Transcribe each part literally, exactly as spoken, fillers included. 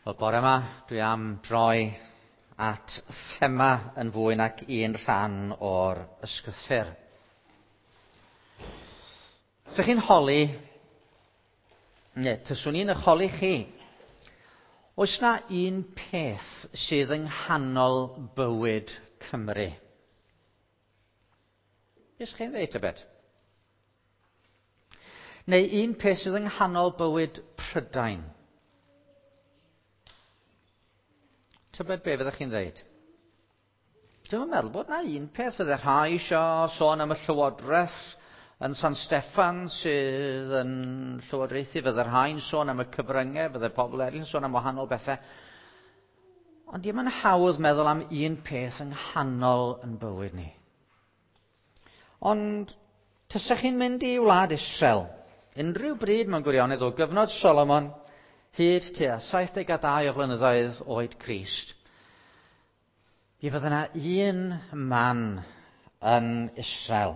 Wel, bore yma, dwi am droi at thema yn fwy nac un rhan o'r ysgrythur. Ydych chi'n holi, neu tyswn i'n eich holi chi, oes na un peth sydd yng nghanol bywyd Cymru? Beth chi'n dweud, tybed? Neu un peth sydd yng nghanol bywyd Prydain? Tybed be fyddech chi'n dweud? Dwi'm yn meddwl bod na un peth. Fydde rhai eisiau sôn am y Llywodraeth yn San Steffan sydd yn llywodraethu. Fydde rhai'n sôn am y cyfryngau, fydde pobl eraill yn sôn am wahanol bethau. Ond dim yn hawdd meddwl am un peth yng nghanol yn bywyd ni. Ond tysech chi'n mynd i wlad Israel, unrhyw bryd mewn gwirionedd o gyfnod Solomon, hyd tua saith deg a dau o flynyddoedd oed Crist, mi fydde yna un man yn Israel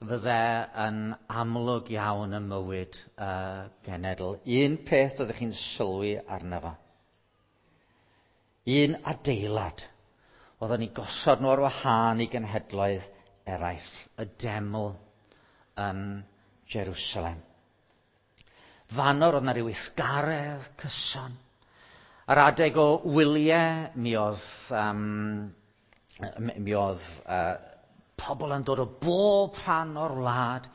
fydde yn amlwg iawn ym mywyd y genedl. Un peth ydych chi'n sylwi arno fo. Un adeilad oedden ni gosod nhw ar wahân i genhedloedd eraill, y deml yn Jerusalem. Fanor oedd yna ryw weithgaredd cyson. Ar adeg o wyliau, mi oedd, um, mi oedd uh, pobl yn dod o bob rhan o'r wlad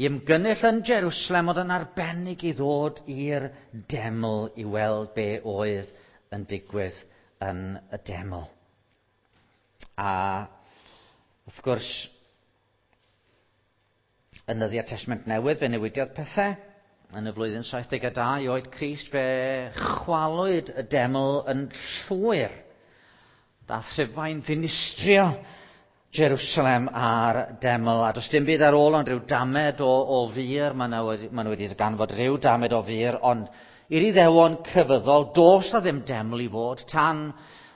i ymgynnull yn Jerusalem, oedd yn arbennig i ddod i'r deml i weld be oedd yn digwydd yn y deml. A wrth gwrs, yn nyddiau'r Testament Newydd, fe newidiodd pethau. Yn y flwyddyn saith deg a dau oed Crist, fe chwalwyd y deml yn llwyr. Dath Rhufain ddinistrio Jerusalem a'r deml, a does dim byd ar ôl ond rhyw damed o, o fur. Maen nhw wedi, maen nhw wedi ganfod rhyw damed o fur, ond i'r Iddewon crefyddol, does na ddim deml i fod, tan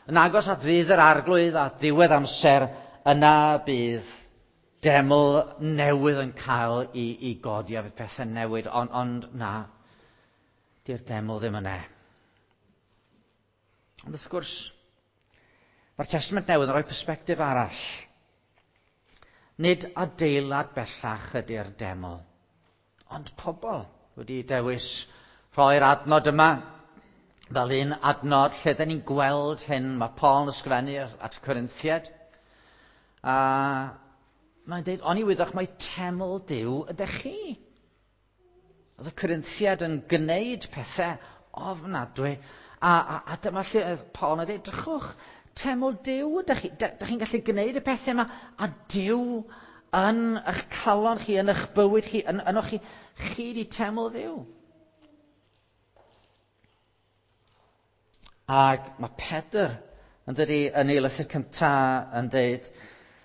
yn agos at ddydd yr Arglwydd a ddiwedd amser, yna bydd deml newydd yn cael i, i godi a fydd pethau newid, ond, ond na, di'r deml ddim yna. Ond wrth gwrs, mae'r Testament Newydd yn rhoi persbectif arall. Nid adeilad bellach ydy'r deml, ond pobl wedi dewis rhoi'r adnod yma fel un adnod lle dyn ni'n gweld hyn. Mae Paul yn ysgrifennu at y Corinthiaid, a mae'n dweud, oni wyddoch mai teml Duw ydych chi. Oedd y Corinthiaid yn gwneud pethau ofnadwy, a, a, a dyma lle oedd Paul yn dweud, drychwch, teml Duw ydych chi. Dych chi'n gallu gwneud y pethau yma, a Duw yn eich calon chi, yn eich bywyd chi, yn, ynoch chi, chi di teml Dduw. Ac mae Pedr yn dydi yn ei lythyr cyntaf yn dweud,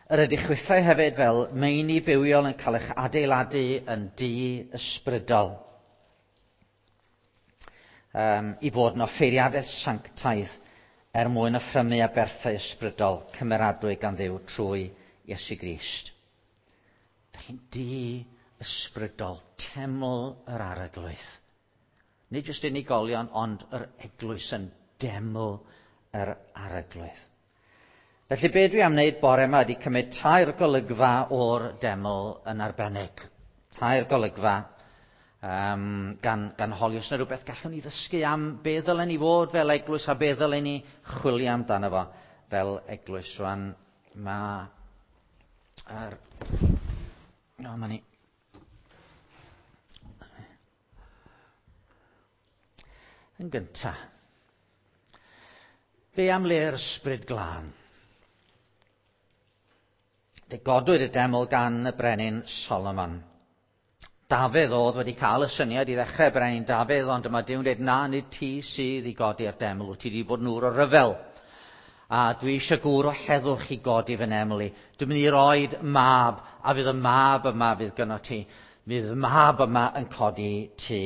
yr ydych chwithau hefyd fel meini bywiol yn cael eich adeiladu yn dŷ ysbrydol. Um, i fod yn offeiriadaeth sanctaidd er mwyn offrymu aberthau ysbrydol cymeradwy gan Dduw trwy Iesu Grist. Dych chi'n dŷ ysbrydol, teml yr Arglwydd. Nid jyst unigolion, ond yr eglwys yn deml yr Arglwydd. Felly be dwi am wneud bore yma ydy cymryd tair golygfa o'r deml yn arbennig. Tair golygfa, um, gan, gan holi os yna rhywbeth gallwn ni ddysgu am be ddylen ni fod fel eglwys a be ddylen ni chwilio amdano fo fel eglwys. Rwan mae... Er, no, ma ni. Yn gynta, be am le'r ysbryd glân? Fe godwyd y deml gan y brenin Solomon. Dafydd oedd wedi cael y syniad i ddechrau brenin Dafydd, ond dyma Duw'n dweud, na, nid ti sydd i godi'r deml, wyt ti wedi bod yn ŵr o ryfel. A dwi eisiau gŵr o heddwch i godi fy neml i. Dwi'n mynd i roed mab, a fydd y mab yma fydd gynno ti. Fydd y mab yma yn codi tŷ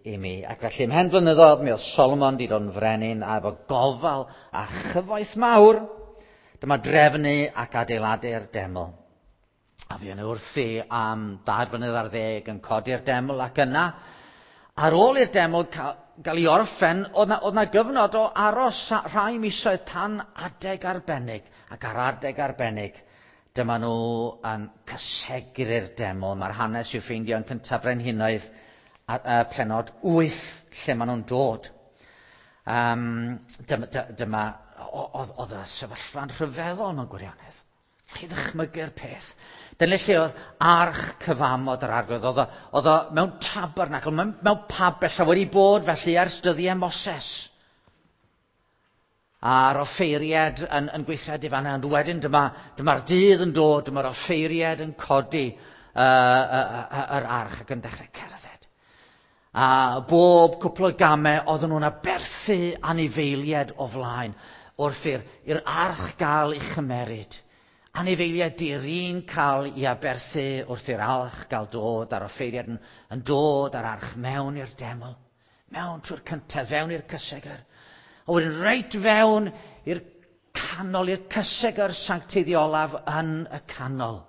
i mi. Ac felly ymhen blynyddoedd, mi oedd Solomon wedi dod yn frenin, a efo gofal a chyfoeth mawr, dyma drefnu ac adeiladu'r deml. A fi yn wrthi am dair blynedd ar ddeg yn codi'r deml, ac yna, ar ôl i'r deml gael ei orffen, oedd na, oedd na gyfnod o aros rhai misoedd tan adeg arbennig. Ac ar adeg arbennig, dyma nhw yn cysegru'r deml. Mae'r hanes i'w ffeindio yn cyntaf Brenhinoedd a, a penod wyth lle maen nhw'n dod. Um, dyma, dyma oedd, oedd y sefyllfa'n rhyfeddol mewn gwirionedd. Chi ddychmygu'r peth. Dyna lle oedd arch cyfamod yr arglwydd. Oedd o, oedd o mewn tabernacl, mewn, mewn pabell a wedi bod felly ers dyddiau Moses. A'r offeiriad yn, yn gweithredu fan'na. Ond wedyn dyma, dyma'r dydd yn dod, dyma'r offeiriad yn codi uh, uh, uh, yr arch ac yn dechrau cerdded. A bob cwpl o gamau oedden nhw'n aberthu anifeiliaid o flaen wrth i'r, i'r arch gael ei chymeryd. Anifeiliaid di-rin cael ei aberthu wrth i'r arch gael dod, a'r offeiriad yn, yn dod a'r arch mewn i'r deml, mewn trwy'r cyntedd, fewn i'r cysegr. A wedyn reit fewn i'r canol, i'r cysegr sancteiddiolaf yn y canol.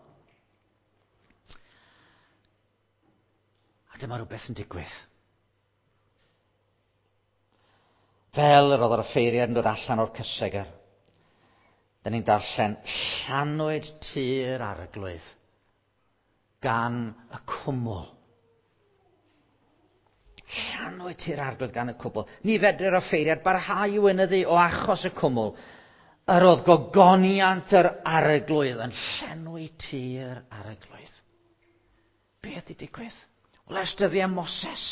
A dyma rhywbeth yn digwydd. Fel yr oedd yr offeiriad yn dod allan o'r cysegr, da ni'n darllen, llanwyd tŷ'r arglwydd gan y cwmwl. Llanwyd tŷ'r arglwydd gan y cwmwl. Ni fedr offeiriad barhau i weinyddu o achos y cwmwl. Yr oedd gogoniant yr arglwydd yn llenwi tŷ'r arglwydd. Beth 'di digwydd? Wel, ers dyddiau Moses,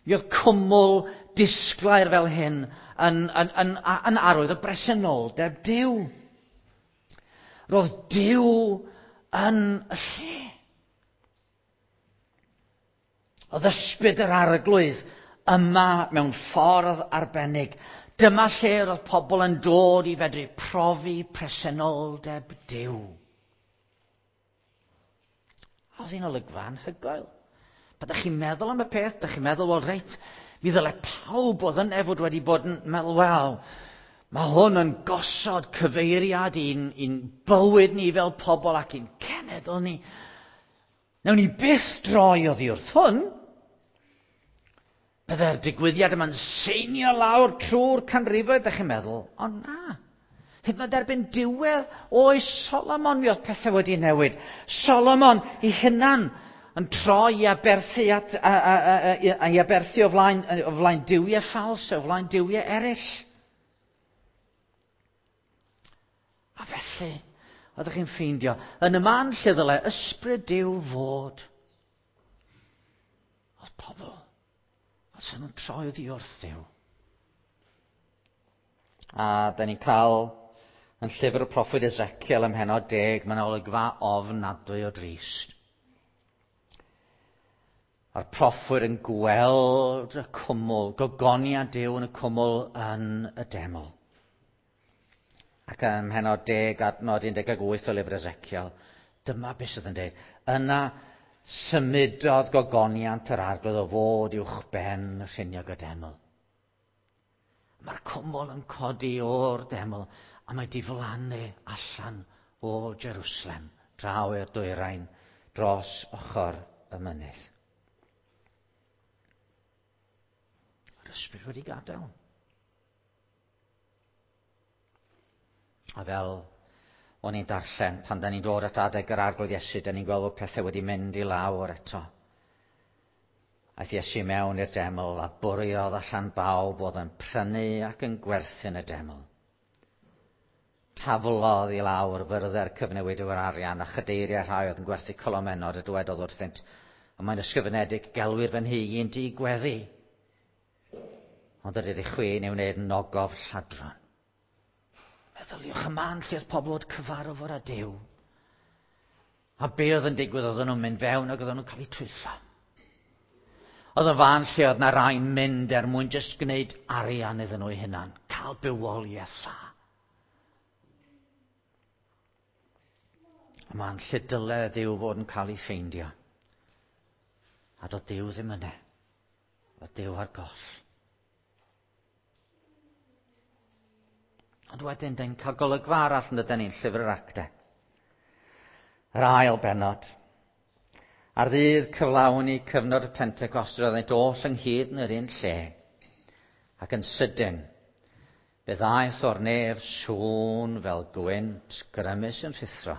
mi oedd cwmwl disglair fel hyn yn, yn, yn, yn arwydd o bresenoldeb Duw. Roedd Duw yn y lle. Oedd ysbryd yr arglwydd yma mewn ffordd arbennig. Dyma lle roedd pobl yn dod i fedru profi presenoldeb Duw. A oedd hi'n olygfa anhygoel. Pan ydych chi'n meddwl am y peth, ydych chi'n meddwl, wel reit, mi ddylai pawb oedd yn efod wedi bod yn meddwl, wel, mae hwn yn gosod cyfeiriad i'n, i'n bywyd ni fel pobl ac i'n cenedl ni. Nawn ni byth droi oddi wrth hwn. Byddai'r digwyddiad yma'n seinio lawr trwy'r canrifoedd, ydych chi'n meddwl, ond na. Hyd yn oed erbyn diwedd oes Solomon, mi oedd pethau wedi newid. Solomon ei hunan yn troi i aberthu, at, a, a, a, a, i aberthu o flaen, o flaen duwiau ffals, o flaen duwiau eraill. A felly, oeddech chi'n ffeindio, yn y man lle ddylai ysbryd Duw fod, oedd pobl, oedd nhw'n troi oddi wrth Dduw. A da ni'n cael yn llyfr y proffwyd Ezekiel ym mhennod deg, mae'n olygfa ofnadwy o drist. A'r proffwyd yn gweld y cwmwl, gogoniant Duw yn y cwmwl yn y deml. Ac ym mhennod deg, adnod un deg wyth o lyfr Ezekiel, dyma beth sydd yn dweud. Yna symudodd gogoniant yr arglwydd o fod uwch ben rhiniog y deml. Mae'r cwmwl yn codi o'r deml a mae diflannu allan o Jerusalem, draw i'r dwyrain, dros ochr y mynydd. Yr ysbryd wedi gadael. A fel o'n i'n darllen, pan da ni'n dod at adeg yr arglwydd Iesu, da ni'n gweld bod pethau wedi mynd i lawr eto. Aeth Iesu mewn i'r deml a bwriodd allan bawb oedd yn prynu ac yn gwerthu yn y deml. Taflodd i lawr fyrddau'r cyfnewidwyr arian a chadeiriau rhai oedd yn gwerthu colomenod a dywedodd wrthynt, a mae'n ysgrifenedig, gelwir fy nhŷ i'n dŷ gweddi. Ond yr ydych chwi yn ei wneud yn ogof lladron. Meddyliwch y man lle oedd pobl oedd cyfarfod â Duw. A be oedd yn digwydd, oedden nhw'n mynd fewn ac oedden nhw'n cael eu twyllo. Oedd y fan lle oedd na rai'n mynd er mwyn jyst gwneud arian iddyn nhw eu hunan, cael bywoliaeth dda. Y man lle dyle Duw fod yn cael ei ffeindio. A doedd Duw ddim yna. Oedd Duw ar goll. Ond wedyn, dyn ni'n cael golygfa arall yn dydyn ni'n llyfr yr Actau. Yr ail bennod. Ar ddydd cyflawni cyfnod y Pentecost, roeddent oll ynghyd yn yr un lle, ac yn sydyn, fe ddaeth o'r nef sŵn fel gwynt grymus yn rhuthro.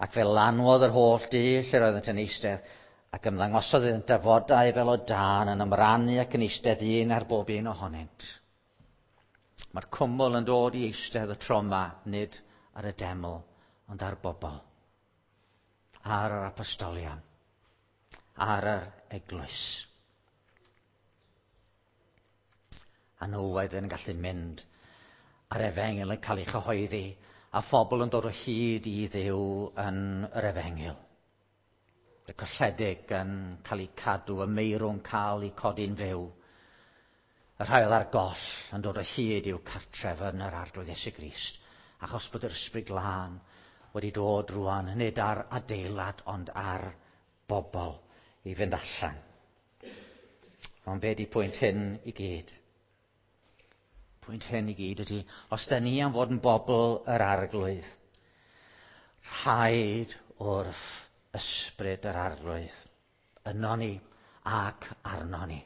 Ac fe lanwodd yr holl dŷ lle roeddent yn eistedd, ac ymddangosodd iddynt dafodau fel o dân yn ymrannu ac yn eistedd un ar bob un ohonynt. Mae'r cwmwl yn dod i eistedd y tro yma, nid ar y deml, ond ar bobl, ar yr apostolion, ar yr eglwys. A nhw oedd yn gallu mynd a'r efengyl yn cael ei chyhoeddi, a phobl yn dod o hyd i Dduw yn yr efengyl. Y colledig yn cael eu cadw, y meirw'n cael eu codi'n fyw. Y rhai oedd ar goll yn dod o hyd i'w cartref yn yr Arglwydd Iesu Grist, achos bod yr Ysbryd Glân wedi dod rwan, nid ar adeilad, ond ar bobl i fynd allan. Ond be di pwynt hyn i gyd? Pwynt hyn i gyd ydy, os da ni am fod yn bobl yr Arglwydd, rhaid wrth ysbryd yr Arglwydd, yno ni ac arno ni.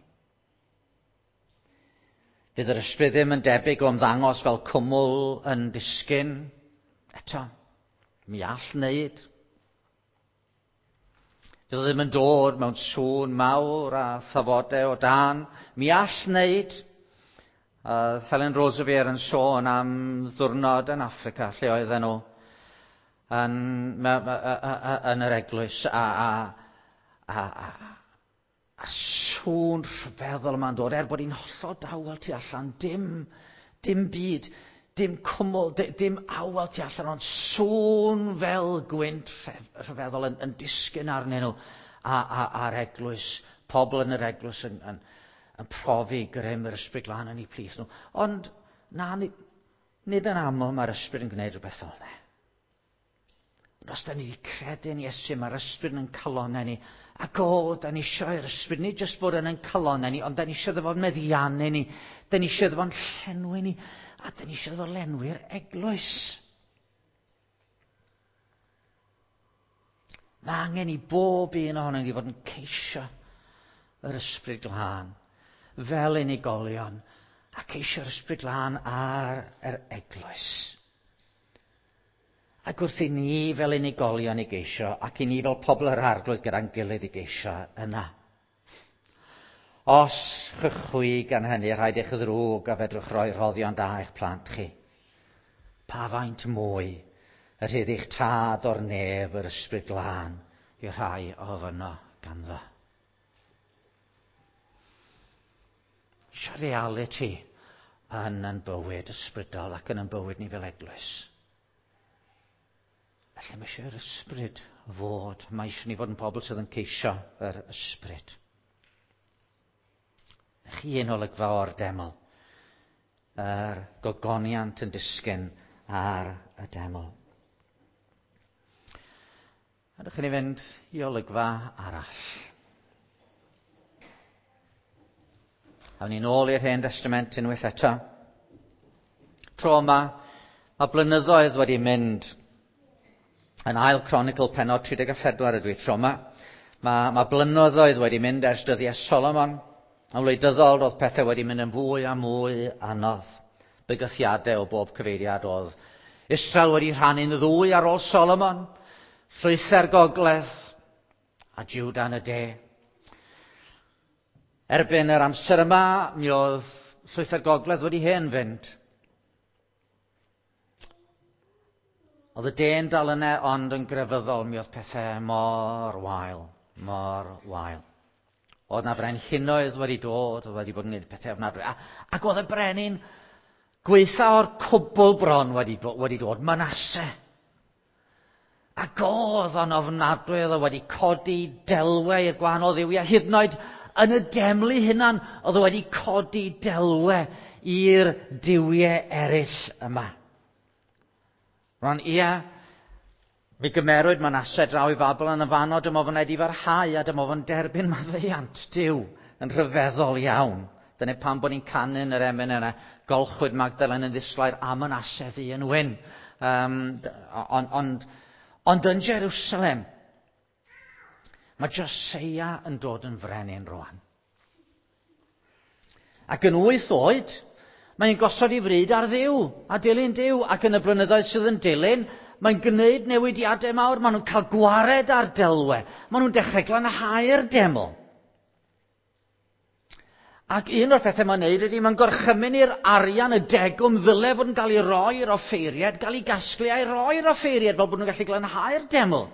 Fydd yr ysbryd ddim yn debyg o ymddangos fel cwmwl yn disgyn. Eto, mi all wneud. Fydd o ddim yn dod mewn sŵn mawr a thafodau o dân. Mi all wneud. Uh, Helen Roseveare yn sôn am ddiwrnod yn Affrica, lle oedden nhw yn, yn yr eglwys, a, a, a, a, a sŵn rhyfeddol yma'n dod, er bod hi'n hollol dawel tu allan, dim, dim byd, dim cwmwl, dim awel tu allan, ond sŵn fel gwynt rhyfeddol yn, yn disgyn arnyn nhw, a, a, a'r eglwys, pobl yn yr eglwys yn, yn, yn profi grym yr Ysbryd Glân yn eu plith nhw. Ond na, nid yn aml mae'r Ysbryd yn gwneud rhywbeth fel yna. Ond os da ni wedi credu yn Iesu, mae'r Ysbryd yn calonnau ni. Ac o, da ni eisiau i'r Ysbryd, nid jyst bod yn ein calonnau ni, ond da ni eisiau iddo fo'n meddiannu ni, da ni eisiau iddo fo'n llenwi ni, a da ni eisiau iddo fo lenwi'r eglwys. Mae angen i bob un ohonon ni fod yn ceisio yr Ysbryd Glân fel unigolion, a ceisio'r Ysbryd Glân ar yr eglwys. Ac wrth i ni fel unigolion i geisio, ac i ni fel pobl yr Arglwydd gyda'n gilydd i geisio yna. Os chwi gan hynny rhaid eich ddrwg a fedrwch roi rhoddion da i'ch plant chi, pa faint mwy y rhydd eich tad o'r nef yr Ysbryd Glân i'r rhai ofyno ganddo. Eisiau reality yn ein bywyd ysbrydol ac yn ein bywyd ni fel eglwys. Felly mae eisiau'r ysbryd fod. Mae eisiau ni fod yn pobl sydd yn ceisio yr ysbryd. Chi un olygfa o'r deml. Yr gogoniant yn disgyn ar y deml. A dych chi'n fynd i olygfa arall. Awn ni'n ôl i'r Hen Testament unwaith eto. Tro yma, mae blynyddoedd wedi mynd. Yn Ail Cronicl pennod tri deg a phedwar ydw i tro yma. Mae, mae blynyddoedd wedi mynd ers dyddiau Solomon. Yn wleidyddol, roedd pethau wedi mynd yn fwy a mwy anodd. Bygythiadau o bob cyfeiriad oedd Israel wedi rhannu'n ddwy ar ôl Solomon, llwythau'r gogledd a Juda yn y de. Erbyn yr amser yma, mi oedd llwythau'r gogledd wedi hen fynd. Oedd y de'n dal yna, ond yn grefyddol, mi oedd pethau mor wael, mor wael. Oedd na frenhinoedd wedi dod, oedd wedi bod yn gwneud pethau ofnadwy. A, ac oedd y brenin gwaetha o'r cwbl bron wedi, wedi dod, Manasse. Ac oedd o'n ofnadwy, oedd o wedi codi delwau i'r gwahanol dduwiau, hyd yn oed yn y deml ei hunan, oedd o wedi codi delwau i'r duwiau eraill yma. Rwan, ia, mi gymerwyd Manasse draw i Fabilon yn fanno, dyma fo'n edifarhau a dyma fo'n derbyn maddeuant Duw yn rhyfeddol iawn. Dyna pam bod ni'n canu yn yr emyn yna, golchwyd Magdalen yn ddisglair a Manasse ddu yn wyn. Um, ond, ond, ond yn Jerusalem, Mae Joseia yn dod yn frenin rwan. Ac yn wyth oed, mae'n gosod ei fryd ar Dduw, a dilyn Duw, ac yn y blynyddoedd sydd yn dilyn, mae'n gwneud newidiadau mawr, maen nhw'n cael gwared ar delwe, maen nhw'n dechrau glanhau'r deml. Ac un o'r pethau mae'n neud ydy, mae'n gorchymyn i'r arian y degwm ddyle fod yn cael ei roi i'r offeiriad, gael ei gasglu a'i roi i'r offeiriad fel bod nhw'n gallu glanhau'r deml.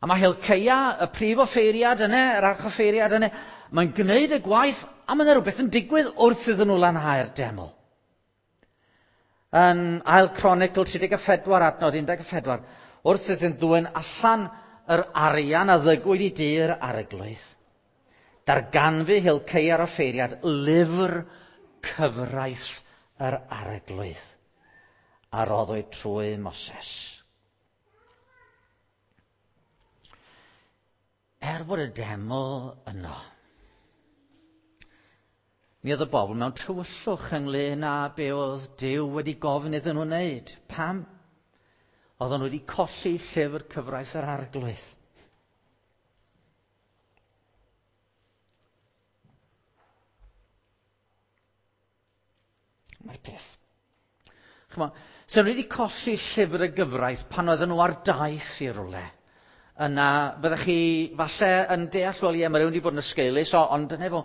A mae Hilceia, y prif offeiriad yna, yr archoffeiriad yna, mae'n gwneud y gwaith a mae yna rhywbeth yn digwydd wrth iddyn nhw lanhau'r deml. Yn Ail Cronicl tri deg pedwar adnod un deg pedwar, wrth iddyn ddwyn allan yr arian a ddygwyd i dir arglwydd, darganfu Hilceia'r offeiriad lyfr cyfraith yr arglwydd a roddwyd trwy Moses. Er fod y deml yno, mi oedd y bobl mewn tywyllwch ynglyn â be oedd Duw wedi gofyn iddyn nhw wneud. Pam? Oedden nhw wedi colli llyfr cyfraith yr arglwydd. Mae'r peth. Ch'mo, so nhw wedi colli llyfr y gyfraith pan oedden nhw ar daith i rywle. Yna, byddech chi falle yn deall, wel ie, mae rhywun wedi bod yn ysgeulus, ond dyna fo.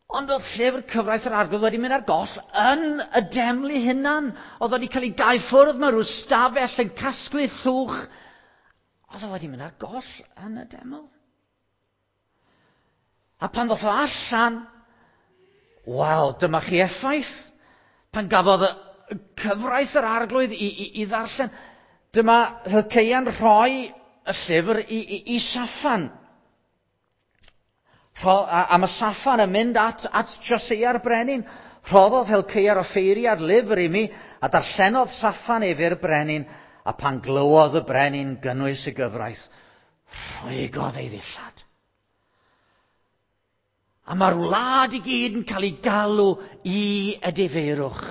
Ond oedd llyfr cyfraith yr arglwydd wedi mynd ar goll yn y deml ei hunan. Oedd wedi cael ei gau ffwrdd mewn rhyw stafell yn casglu llwch. Oedd o wedi mynd ar goll yn y deml. A pan ddoth o allan, wel, dyma chi effaith. Pan gafodd y cyfraith yr arglwydd i, i, i ddarllen, dyma Hilceia'n rhoi y llyfr i, i, i Saffan. Rho, a, a mae Saffan yn mynd at, at Joseia'r brenin. Rhoddodd Hilceia'r offeiriad lyfr i mi, a darllenodd Saffan ef i'r brenin, a pan glywodd y brenin gynnwys y gyfraith, rhwygodd ei ddillad. A mae'r wlad i gyd yn cael ei galw i edifeirwch,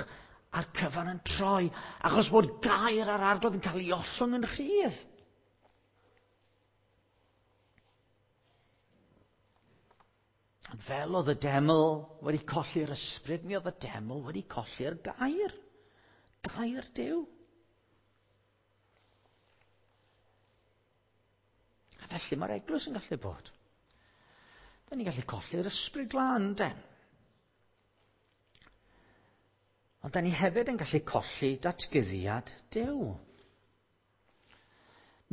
a'r cyfan yn troi, achos bod gair ar arglwydd yn cael ei ollwng yn rhydd. Ond fel oedd y deml wedi colli'r ysbryd, mi oedd y deml wedi colli'r gair. Gair Duw. A felly mae'r eglwys yn gallu bod. Da ni'n gallu colli'r ysbryd glân, den. Ond da ni hefyd yn gallu colli datguddiad Duw.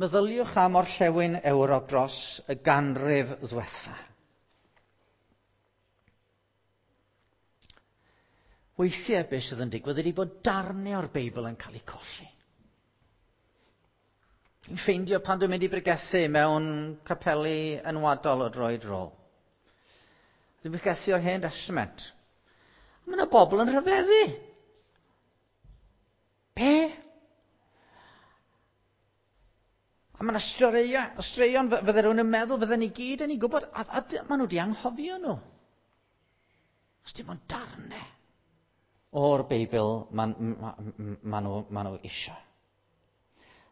Meddyliwch am orllewin Ewrop dros y ganrif ddwetha. Weithiau beth sydd yn digwydd ydy bod darnau o'r Beibl yn cael eu colli. Dwi'n ffeindio pan dwi'n mynd i bregethu mewn capeli enwadol o dro i dro. Dwi'n bregethu o'r Hen Testament. A mae yna bobl yn rhyfeddu. Be? A mae yna straeon, straeon fydde rhywun yn meddwl, fydden ni gyd yn ei gwybod, a, a, a maen nhw wedi anghofio nhw. Os dim ond darnau o'r Beibl maen ma, ma nhw, ma nhw eisiau.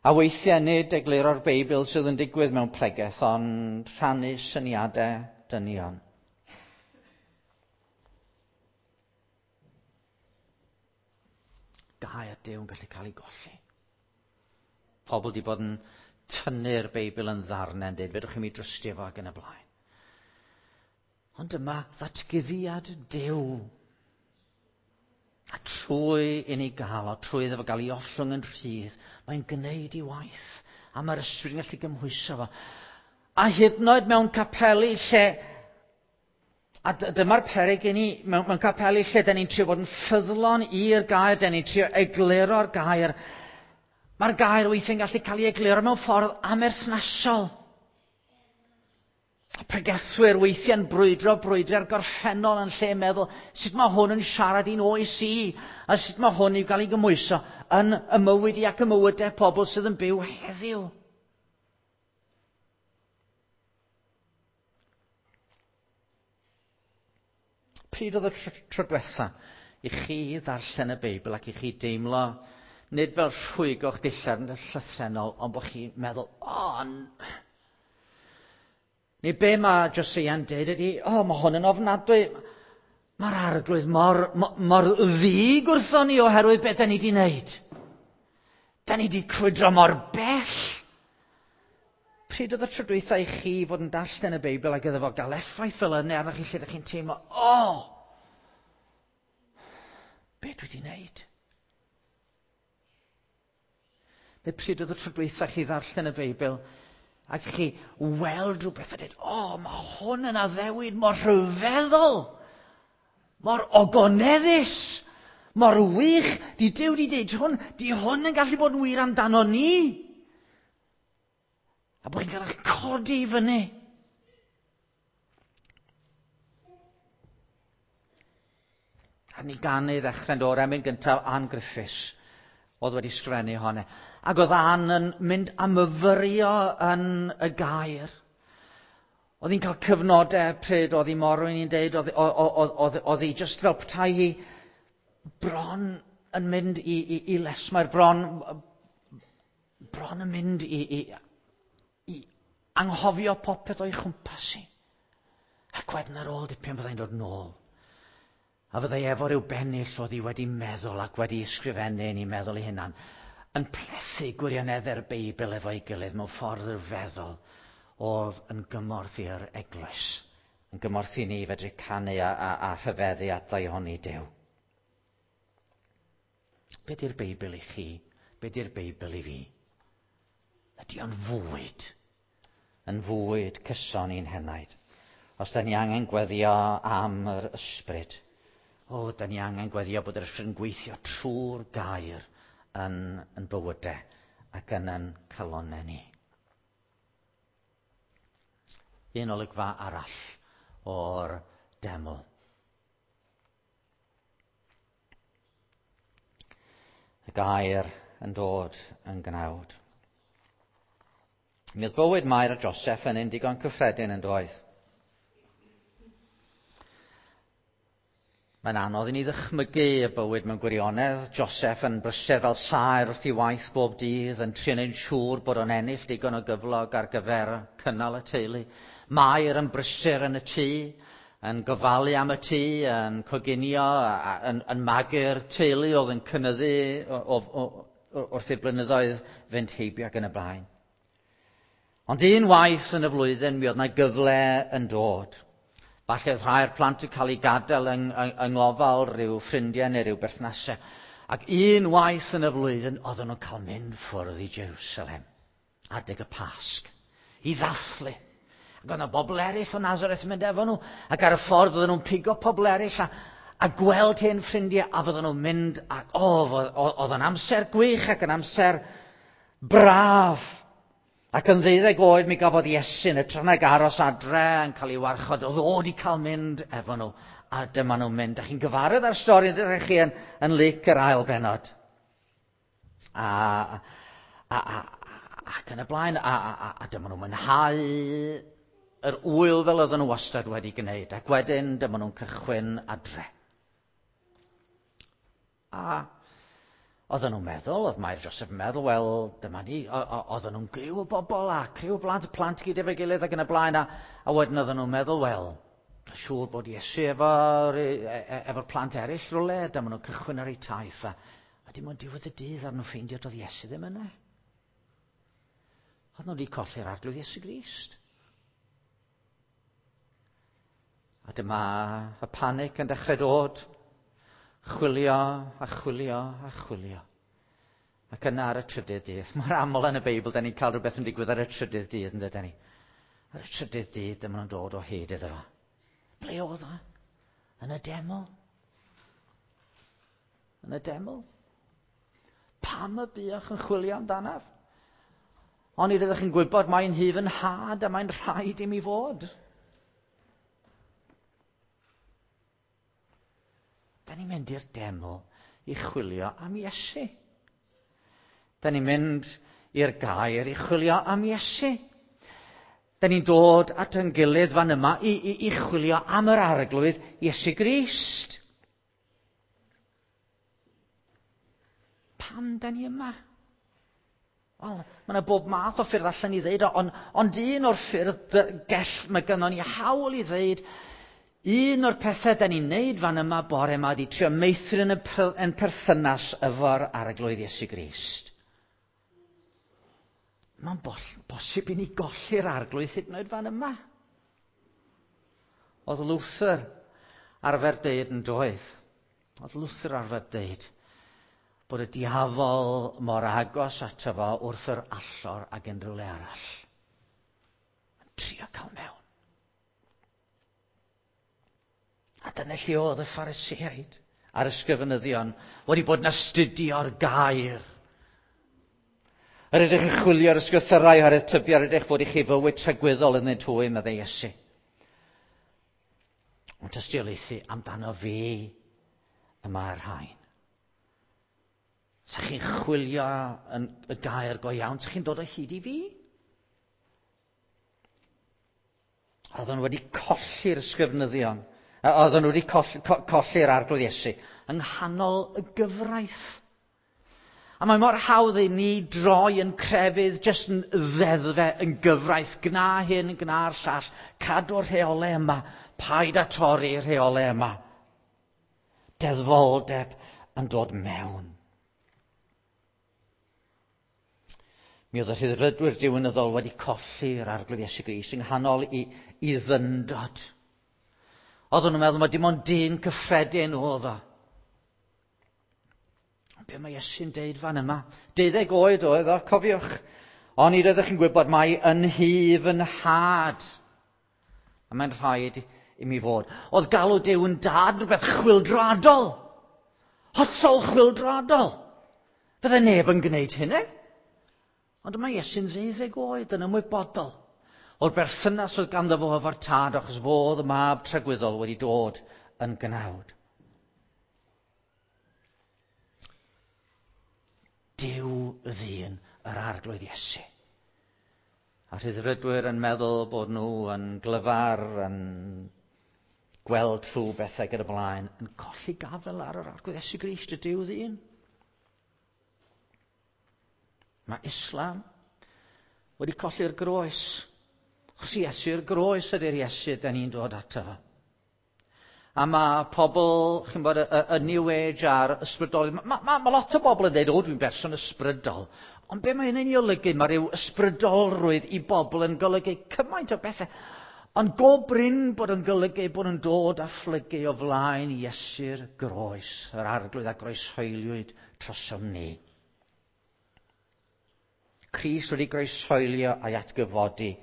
A weithiau nid egluro'r Beibl sydd yn digwydd mewn pregeth, ond rhannu syniadau dynion. Gair Duw yn gallu cael ei golli. Pobl wedi bod yn tynnu'r Beibl yn ddarnau yn dweud, fedrwch chi mi drystio fo ac yn y blaen. Ond dyma ddatguddiad Duw. A trwy i ni gael o, trwy iddo fo gael ei ollwng yn rhydd, mae'n gwneud ei waith. A mae'r ysbryd yn gallu gymhwyso fo. A hyd yn oed mewn capeli lle, a dyma'r peryg i ni, mewn, mewn capeli lle da ni'n trio bod yn ffyddlon i'r gair, da ni'n trio egluro'r gair. Mae'r gair weithiau'n gallu cael ei egluro mewn ffordd amherthnasol. A pregethwyr weithiau'n brwydro brwydro'r gorffennol yn lle meddwl sut mae hwn yn siarad i'n oes i, a sut mae hwn i'w gael ei gymhwyso yn y mywyd i ac y mywydau pobl sydd yn byw heddiw. Pryd oedd y tro diwetha i chi ddarllen y Beibl ac i chi deimlo, nid fel rhwygo'ch dillad yn llythrennol, ond bod chi'n meddwl, o, oh, Neu be mae Josia'n dweud ydy, o, oh, mae hwn yn ofnadwy. Mae'r arglwydd mor, mor, mor ddig wrthon ni oherwydd beth da ni wedi wneud. Da ni wedi crwydro mor bell. Pryd oedd y tro dwytha i chi fod yn darllen y Beibl ac iddo fo gael effaith fel yna arnoch chi lle ydych chi'n teimlo, o, oh, be dwi wedi wneud? Neu pryd oedd y tro dwytha chi ddarllen y Beibl ac chi weld rhywbeth a dweud, o, oh, mae hwn yn addewid mor rhyfeddol, mor ogoneddus, mor wych. Di Duw di dweud hwn, di hwn yn gallu bod yn wir amdano ni. A bod chi'n cael eich codi i fyny. A ni ganu ddechrau'n dod emyn gyntaf Ann Griffiths oedd wedi sgrifennu honna. Ac oedd Ann yn mynd a myfyrio yn y gair. Oedd hi'n cael cyfnodau pryd oedd hi morwyn i'n deud, oedd, oedd, oedd, oedd hi just fel petai hi bron yn mynd i, i, i lesmair, bron, bron yn mynd i, i, i anghofio popeth o'i chwmpas hi. Ac wedyn ar ôl dipyn fyddai'n dod nôl. A fyddai efo rhyw bennill oedd hi wedi meddwl ac wedi ysgrifennu yn ei meddwl ei hunan, yn plethu gwirioneddau'r Beibl efo'i gilydd mewn ffordd rhyfeddol oedd yn gymorth i'r eglwys, yn gymorth i ni fedru canu a, a, a rhyfeddu at ddaioni Duw. Be di'r Beibl i chi? Be di'r Beibl i fi? Ydy o'n fwyd, yn fwyd cyson i'n henaid. Os da ni angen gweddio am yr ysbryd, o, da ni angen gweddio bod yr ysbryd yn gweithio trwy'r gair yn, yn bywydau ac yn yn calonnau ni. Un olygfa arall o'r deml. Y gair yn dod yn gnawd. Mi oedd bywyd Mair a Joseph yn un digon cyffredin yn doedd. Mae'n anodd i ni ddychmygu y bywyd mewn gwirionedd. Joseph yn brysur fel saer wrth ei waith bob dydd, yn trio neud yn siŵr bod o'n ennill digon o gyflog ar gyfer cynnal y teulu. Mair yn brysur yn y tŷ, yn gofalu am y tŷ, yn coginio, yn, yn magu'r teulu oedd yn cynyddu o, o, o, wrth i'r blynyddoedd fynd heibio ac yn y blaen. Ond un waith yn y flwyddyn mi oedd yna gyfle yn dod. Falle oedd rhai'r plant yn cael eu gadael yng, yng, yng ngofal rhyw ffrindiau neu rhyw berthnasau. Ac un waith yn y flwyddyn oedden nhw'n cael mynd ffwrdd i Jerusalem, adeg y Pasg, i ddathlu. Ac oedd yna bobl eraill o Nazareth yn mynd efo nhw, ac ar y ffordd oedden nhw'n pigo pobl eraill a, a gweld hen ffrindiau, a fydden nhw'n mynd, ac o, oedd yn amser gwych ac yn amser braf. Ac yn ddeuddeg oed mi gafodd Iesu yn hytrach nag aros adre yn cael ei warchod, oedd o wedi cael mynd efo nhw, a dyma nhw'n mynd. Dach chi'n gyfarwydd â'r stori, ydych chi yn, yn Luc yr ail bennod. A, a, a, ac yn y blaen, a, a, a, a dyma nhw'n mwynhau yr ŵyl fel oedden nhw wastad wedi gwneud, ac wedyn dyma nhw'n cychwyn adre. A oedden nhw'n meddwl, oedd Mair Joseph yn meddwl, wel, dyma ni, oedden nhw'n griw o bobl a criw o blant, plant gyd efo'i gilydd ac yn y blaen, a, a wedyn oedden nhw'n meddwl, wel, siŵr bod Iesu efo'r efo plant eraill rhywle, dyma nhw'n cychwyn ar eu taith, a, a dim ond diwedd y dydd ar nhw'n ffeindio doedd Iesu ddim yna. Oedden nhw wedi colli'r Arglwydd Iesu Grist. A dyma y panic yn dechrau dod. Chwilio a chwilio a chwilio. Ac yna ar y trydydd dydd, mor aml yn y Beibl, da ni'n cael rhywbeth yn digwydd ar y trydydd dydd, yn dydyn ni. Ar y trydydd dydd, dyma nhw'n dod o hyd iddo fo. Ble oedd o? Yn y deml. Yn y deml. Pam y buoch yn chwilio amdanaf? Ond nid ydych chi'n gwybod mae'n hyf yn nhad a mae'n rhaid i mi fod. Da ni'n mynd i'r deml i chwilio am Iesu. Da ni'n mynd i'r gair i chwilio am Iesu. Da ni'n dod at ein gilydd fan yma i, i, i chwilio am yr Arglwydd Iesu Grist. Pam da ni yma? Wel, mae yna bob math o ffyrdd allan i ddeud o, ond, ond un o'r ffyrdd gell mae gynnon ni hawl i ddeud, un o'r pethau da ni'n neud fan yma bore yma ydy trio meithrin yn perthynas efo'r Arglwydd Iesu Grist. Mae'n bosib i ni golli'r Arglwydd hyd yn oed fan yma. Oedd Luther arfer deud yn doedd. Oedd Luther arfer deud bod y diafol mor agos ato fo wrth yr allor ag unrhyw le arall. Yn trio cael mewn. A dyna lle oedd y Phariseaid a'r ysgrifenyddion wedi bod yn astudio'r gair. Yr ydych yn chwilio'r ysgrythyrau oherwydd tybio yr ydych fod i chi fywyd tragwyddol ynddynt hwy, meddai Iesu. Ond tystiolaethu amdano fi y mae'r rhain. Sa chi'n chwilio yn y gair go iawn, sa chi'n dod o hyd i fi? Oedden nhw wedi colli'r ysgrifenyddion. Oedden nhw wedi colli, colli'r Arglwydd Iesu yng nghanol y gyfraith. A mae mor hawdd i ni droi yn crefydd, jyst yn ddeddfe, yn gyfraith, gna hyn, gna'r llall, cadw'r rheolau yma, paid â torri'r rheolau yma. Deddfoldeb yn dod mewn. Mi oedd y rhyddfrydwyr diwinyddol wedi colli'r Arglwydd Iesu Grist yng nghanol i, i ddyndod. Oedden nhw'n meddwl mae dim ond dyn cyffredin oedd o. Ond be mae Iesu'n deud fan yma? Deuddeg oed oedd o, cofiwch. Ond nid oeddech chi'n gwybod mai yn hyf yn had. A mae'n rhaid i mi fod. Oedd galw Duw yn dad rhywbeth chwyldroadol. Hollol chwyldroadol. Bydde neb yn gwneud hynny. Ond mae Iesu'n ddeuddeg oed yn ymwybodol o'r berthynas oedd ganddo fo efo'r tad, achos fo oedd y mab tragwyddol wedi dod yn gnawd. Duw ddyn yr Arglwydd Iesu. A rhyddfrydwyr yn meddwl bod nhw yn glyfar, yn gweld trwy bethau gyda blaen, yn colli gafel ar yr Arglwydd Iesu Grist, y Duw ddyn. Mae Islam wedi colli'r groes. Achos Iesu'r groes ydy'r Iesu da ni'n dod ato fo. A mae pobl, chi'n bod, y, y, y New Age a'r ysbrydol, mae ma, ma lot o bobl yn dweud, o, dwi'n berson ysbrydol. Ond be mae hynny'n ei olygu? Mae rhyw ysbrydolrwydd i bobl yn golygu cymaint o bethau. Ond go brin bod yn golygu bod yn dod a phlygu o flaen Iesu'r groes, yr Arglwydd a groeshoeliwyd trosom ni. Crist wedi groeshoelio a'i atgyfodi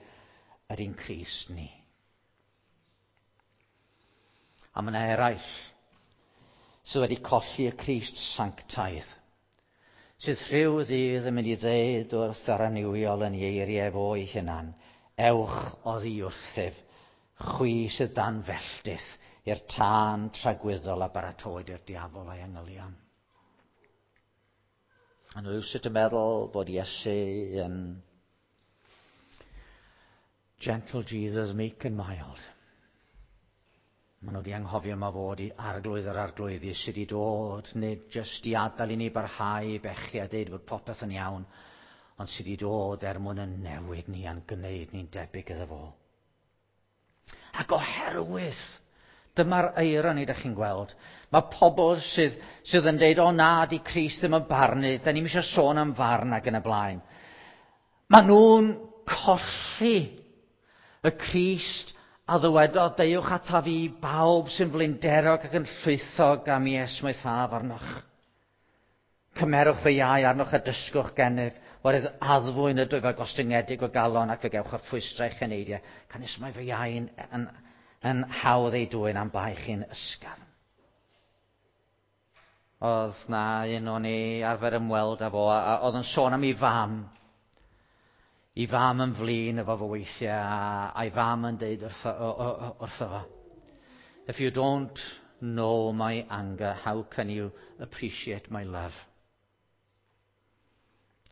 yr un Crist ni. A mae yna eraill sydd wedi colli y Crist sanctaidd, sydd rhyw ddydd yn mynd i ddeud wrth yr annuwiol yn ei eiriau fo ei hunan, ewch oddi wrthyf, chwi sydd dan felltith i'r tân tragwyddol a baratowyd i'r diafol a'i angylion. A nhw rywsut yn meddwl bod Iesu yn gentle Jesus, meek and mild. Maen nhw wedi anghofio ma fod i arglwydd yr arglwyddi sydd wedi dod, nid jyst i adael i ni barhau bechu a deud bod popeth yn iawn, ond sydd wedi dod er mwyn yn newid ni a'n gwneud ni'n debyg iddo fo. Ac oherwydd, dyma'r eironi ydych chi'n gweld, mae pobl sydd, sydd yn deud, o na, di Crist ddim yn barnu, da ni'm eisiau sôn am farn ac yn y blaen. Maen nhw'n colli y Crist a ddywedodd, deuwch ataf fi bawb sy'n flinderog ac yn llwythog am i esmwythaf arnoch. Cymerwch fy iau arnoch a dysgwch gennyf, oherwydd addfwyn ydwyf a gostyngedig o galon ac fe gewch y rhwystrau eich eneidiau. Canys mae fy iau yn, yn, yn hawdd ei dwyn am bai chi'n ysgafn. Oedd na un o'n i arfer ymweld â fo, a, a oedd yn sôn am ei fam. I fam yn flin efo fo weithiau, a, a'i fam yn deud wrtho, wrtho fo, if you don't know my anger, how can you appreciate my love?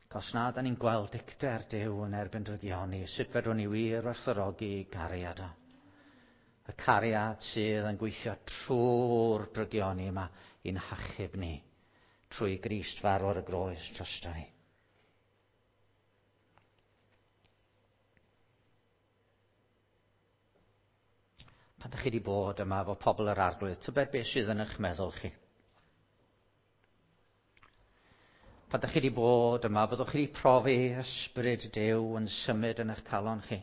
Cos na, da ni'n gweld dicter Duw yn erbyn drygioni, sut fedrwn ni wir werthfawrogi cariad o. Y cariad sydd yn gweithio trwy'r drygioni yma i'n hachub ni, trwy Grist farw ar y groes drosto ni. Dych chi wedi bod yma efo pobl yr Arglwydd, tybed beth sydd yn eich meddwl chi? Pan dych chi wedi bod yma, byddwch chi wedi profi ysbryd Duw yn symud yn eich calon chi.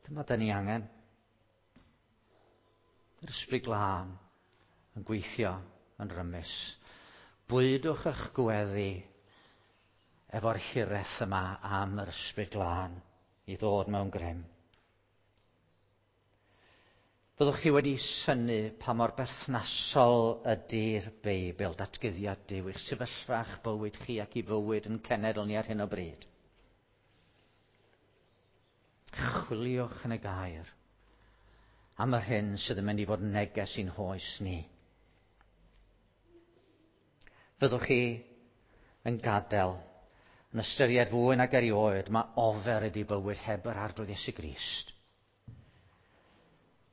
Dyma dyn ni angen. Yr ysbryd glân yn gweithio yn rymus. Bwydwch eich gweddi efo'r hiraeth yma am yr ysbryd glân i ddod mewn grym. Byddwch chi wedi synnu pa mor berthnasol ydy'r Beibl, datguddiad Duw, i'ch sefyllfa, eich bywyd chi ac i fywyd yn cenedl ni ar hyn o bryd. Chwiliwch yn y gair am yr hyn sydd yn mynd i fod yn neges i'n hoes ni. Fyddwch chi yn gadael, yn ystyried fwy nag erioed, mae ofer ydy bywyd heb yr Arglwydd Iesu Grist.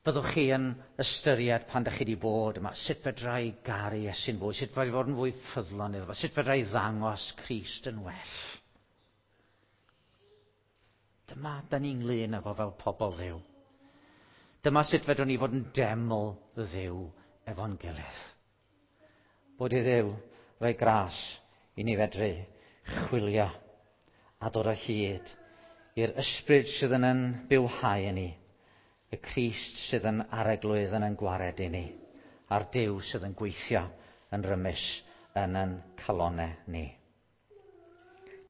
Byddwch chi yn ystyried pan ydych chi wedi bod yma, sut fedra i garu Iesu'n fwy, sut fedra i fod yn fwy ffyddlon iddo fo, sut fedra i ddangos Crist yn well. Dyma da ni'n ynglyn efo fel pobl Dduw. Dyma sut fedrwn ni fod yn deml Dduw efo'n gilydd. Bod i Dduw roi gras i ni fedru chwilio a dod o hyd i'r ysbryd sydd yn yn bywhau ni, y Crist sydd yn arglwydd yn yn gwared i ni, a'r Duw sydd yn gweithio yn rymus yn yn calonau ni.